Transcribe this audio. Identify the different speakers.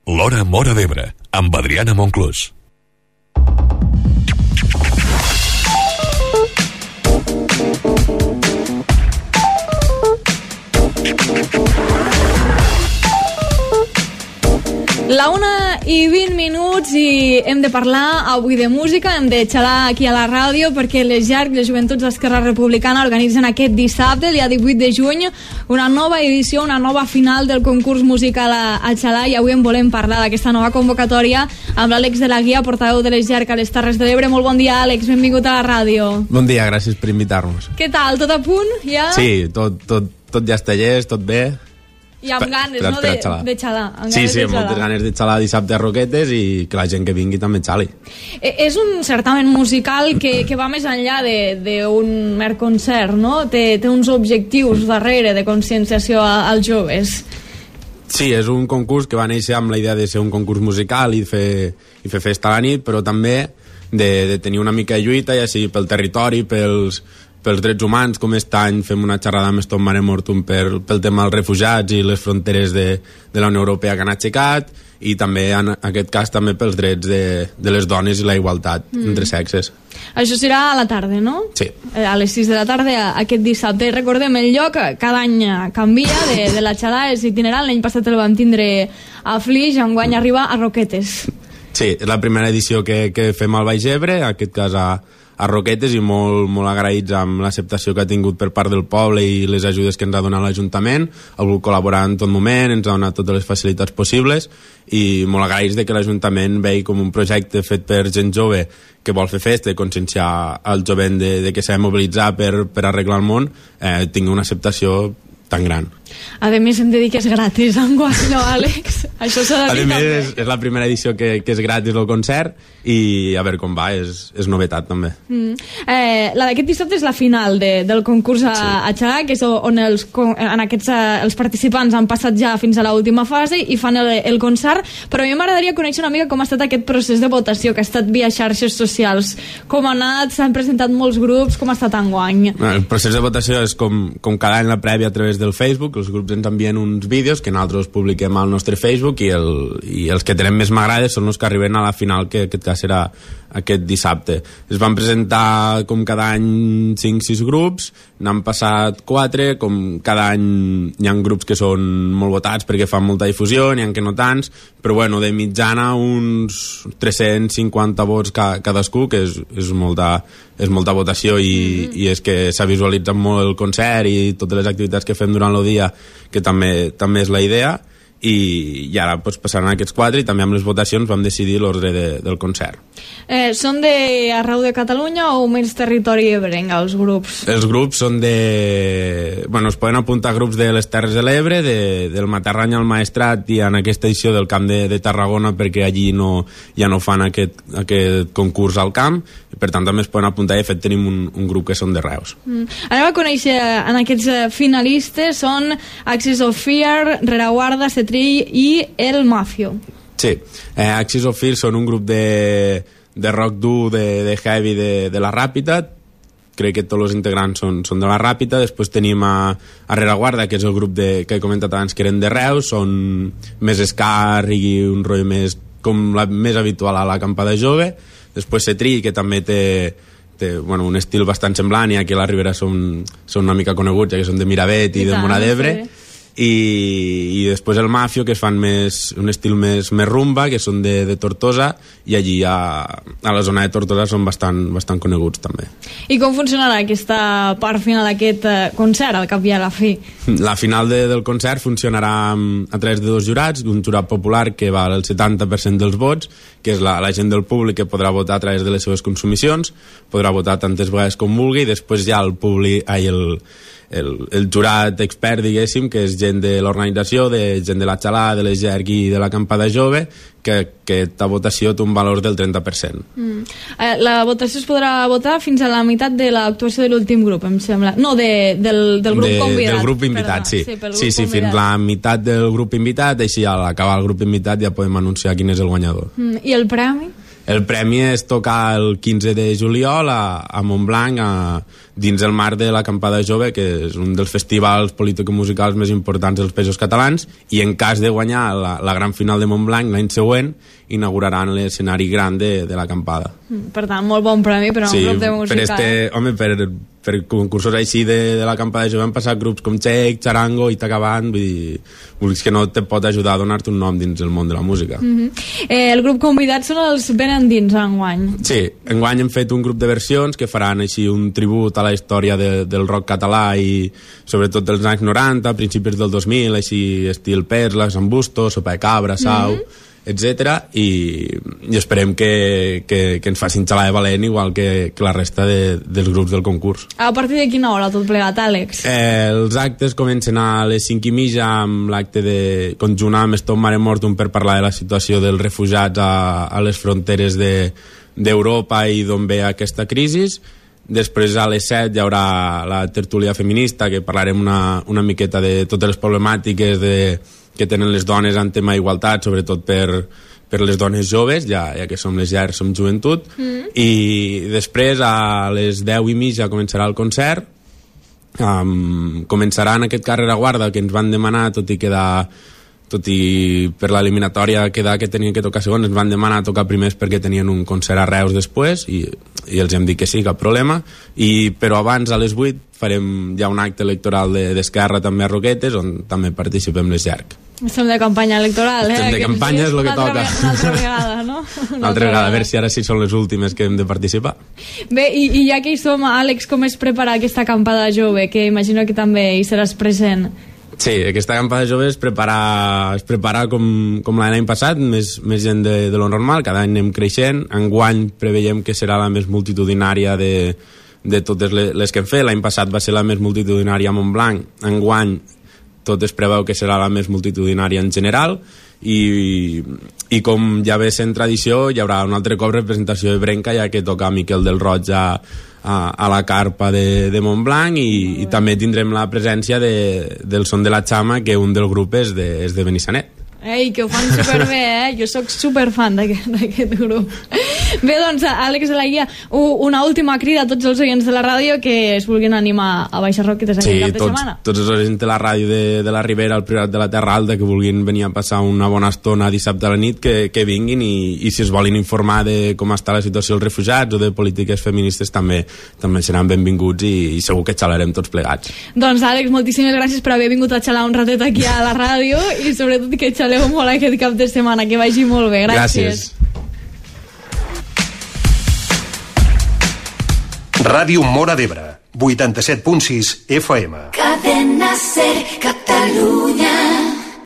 Speaker 1: L'Hora Móra d'Ebre, amb Adriana Monclús.
Speaker 2: La 1:20 i hem de parlar avui de música, hem de xalar aquí a la ràdio perquè les JERC, les Joventuts d'Esquerra Republicana, organitzen aquest dissabte, el dia 18 de juny, una nova edició, una nova final del concurs musical a xalar, i avui en volem parlar d'aquesta nova convocatòria amb l'Àlex de la Guia, portaveu de les JERC a les Terres de l'Ebre. Molt bon dia, Àlex, benvingut a la ràdio.
Speaker 3: Bon dia, gràcies per invitar-nos.
Speaker 2: Què tal, tot a punt, ja?
Speaker 3: Sí, tot ja està llest, tot bé.
Speaker 2: I amb ganes, no?, de xalar.
Speaker 3: Sí, amb moltes ganes de xalar dissabte a Roquetes i que la gent que vingui també xali.
Speaker 2: És un certamen musical que va més enllà d'un mer concert, no? Té uns objectius darrere de conscienciació als joves.
Speaker 3: Sí, és un concurs que va néixer amb la idea de ser un concurs musical i fer festa a la nit, però també de tenir una mica de lluita, ja sigui pel territori, pels drets humans, com aquest any fem una xerrada amb Stop Mare Mortum pel tema dels refugiats i les fronteres de la Unió Europea que han aixecat, i també en aquest cas també pels drets de les dones i la igualtat entre sexes.
Speaker 2: Això serà a la tarda, no?
Speaker 3: Sí.
Speaker 2: A les 6 de la tarda aquest dissabte. Recordem, el lloc cada any canvia de la xalada, és itinerant. L'any passat el vam tindre a Flix, enguany arriba a Roquetes.
Speaker 3: Sí, és la primera edició que fem al Baix Ebre, en aquest cas a Roquetes, i molt agraïts amb l'acceptació que ha tingut per part del poble i les ajudes que ens ha donat l'Ajuntament. Ha volgut col·laborar en tot moment, ens ha donat totes les facilitats possibles, i molt agraïts de que l'Ajuntament vegi com un projecte fet per gent jove que vol fer festa i conscienciar el jovent de que s'ha de mobilitzar per arreglar el món, tingui una acceptació tan gran.
Speaker 2: A més, hem de dir que és gratis enguany, no, Àlex? Això s'ha de dir també.
Speaker 3: A més, és la primera edició que és gratis el concert, i a veure com va, és novetat també.
Speaker 2: La d'aquest dissabte és la final del concurs a xalar, que és on els participants han passat ja fins a l'última fase i fan el concert, però a mi m'agradaria conèixer una mica com ha estat aquest procés de votació, que ha estat via xarxes socials. Com ha anat? S'han presentat molts grups? Com ha estat enguany?
Speaker 3: El procés de votació és com cada any la prèvia a través del Facebook. Els grups ens envien uns vídeos que nosaltres publiquem al nostre Facebook, i els que tenen més m'agrada són els que arriben a la final, que aquest cas serà aquest dissabte. Es van presentar com cada any 5-6 grups, n'han passat 4, com cada any hi ha grups que són molt votats perquè fan molta difusió, n'hi ha que no tants, però bueno, de mitjana uns 350 vots cadascú, que és molta votació, i és que s'ha visualitzat molt el concert i totes les activitats que fem durant el dia, que també és la idea. I ara passaran aquests 4, i també amb les votacions vam decidir l'ordre del concert.
Speaker 2: Són d'arreu de Catalunya o més territori ebrenc, els grups? Els
Speaker 3: grups són es poden apuntar grups de les Terres de l'Ebre, del Matarrany al Maestrat, i en aquesta edició del Camp de Tarragona, perquè allí ja no fan aquest concurs al camp, i per tant també es poden apuntar. I de fet tenim un grup que són de Reus.
Speaker 2: Anem a conèixer en aquests finalistes. Són Axis of Fear, Rereguarda, Cetrill i El Mafio.
Speaker 3: Sí, Axis of Fear són un grup de rock dur, de heavy de la Ràpita. Crec que tots els integrants són de la Ràpita. Després tenim a Rereguarda, que és el grup que he comentat abans, que eren de Reus. Són més ska, reggae, un rotllo més habitual a l'acampada jove. Després Cetrill, que també té un estil bastant semblant, i aquí a la Ribera són una mica coneguts, ja que són de Miravet i de Móra d'Ebre. I després el Mafio, que fan un estil més rumba, que són de Tortosa, i allí a la zona de Tortosa són bastant coneguts també.
Speaker 2: I com funcionarà aquesta part final d'aquest concert, al cap i a la fi?
Speaker 3: La final del concert funcionarà a través de 2 jurats, un jurat popular que val el 70% dels vots, que és la gent del públic, que podrà votar a través de les seves consumicions, podrà votar tantes vegades com vulgui, i després hi ha el jurat expert, diguéssim, que és gent de l'organització, de gent de la xalada, de les JERC i de l'acampada jove, que aquesta votació té un valor del 30%.
Speaker 2: La votació es podrà votar fins a la meitat de l'actuació de l'últim grup, em sembla. No, del grup convidat.
Speaker 3: Del grup invitat, sí. Sí, fins la meitat del grup invitat, així al acabar el grup invitat ja podem anunciar quin és el guanyador.
Speaker 2: I el premi?
Speaker 3: El premi és tocar el 15 de juliol a Montblanc, dins el marc de l'Acampada Jove, que és un dels festivals político-musicals més importants dels Països Catalans, i en cas de guanyar la gran final de Montblanc l'any següent, inauguraran l'escenari gran de l'Acampada.
Speaker 2: Per tant, molt bon premi per a un grup de música.
Speaker 3: Per concursos així de l'Acampada Jove han passat grups com Cheik, Charango, Itacabant, vull dir que no te pot ajudar a donar-te un nom dins el món de la música.
Speaker 2: El grup convidat són els Benendins enguany.
Speaker 3: Sí, enguany hem fet un grup de versions que faran així un tribut a la història del rock català i sobretot dels anys 90, principis del 2000, així estil Perla, Sant Busto, Sopa de Cabra, Sau, etc. I esperem que ens facin xalar de valent igual que la resta dels grups del concurs.
Speaker 2: A partir de quina hora tot plegat, Àlex?
Speaker 3: Els actes comencen a les 5:30 amb l'acte de conjunt amb Stop Mare Mortum per parlar de la situació dels refugiats a les fronteres d'Europa i d'on ve aquesta crisi. Després a les 7 hi haurà la tertúlia feminista, que parlarem una miqueta de totes les problemàtiques que tenen les dones en tema d'igualtat, sobretot per les dones joves, ja que som les llars, som joventut. I després a les 10:30 començarà el concert. Començarà en aquest carrer a guarda que ens van demanar, tot i per l'eliminatòria quedar que tenien que tocar segons, ens van demanar tocar primers perquè tenien un concert a Reus després i els hem dit que sí, cap problema. Però abans, a les 8, farem ja un acte electoral d'Esquerra també a Roquetes, on també participem les llarg.
Speaker 2: Estem de campanya electoral,
Speaker 3: Estem de campanya, és el que toca.
Speaker 2: Una altra vegada, no?
Speaker 3: Una altra vegada, a veure si ara sí són les últimes que hem de participar.
Speaker 2: Bé, i ja que hi som, Àlex, com es prepara aquesta acampada jove, que imagino que també hi seràs present?
Speaker 3: Sí, aquesta acampada jove es prepara com l'any passat, més gent de lo normal, cada any anem creixent. Enguany preveiem que serà la més multitudinària de totes les que hem fet. L'any passat va ser la més multitudinària a Montblanc. Enguany tot es preveu que serà la més multitudinària en general i com ja ve sent tradició hi haurà un altre cop representació de Brenca, ja que toca Miquel del Roig a la carpa de Montblanc i també tindrem la presència del Son de la Chama, que un del grup és de Benissanet.
Speaker 2: Ei, que ho fan superbé, Jo sóc superfan d'aquest grup. Bé, doncs, Àlex de la Guia, una última crida a tots els oients de la ràdio que es vulguin animar a baixar Roquetes aquest cap de setmana. Sí,
Speaker 3: tots els oients de la ràdio de la Ribera, al Priorat de la Terra Alta, que vulguin venir a passar una bona estona dissabte a la nit, que vinguin i si es volen informar de com està la situació dels refugiats o de polítiques feministes també seran benvinguts i segur que xalarem tots plegats.
Speaker 2: Doncs, Àlex, moltíssimes gràcies per haver vingut a xalar un ratet aquí a la ràdio i sobretot que xaleu molt aquest cap de setmana, que vagi molt bé. Gràcies.
Speaker 4: Ràdio Móra d'Ebre, 87.6 FM.
Speaker 5: Cadena Ser, Catalunya.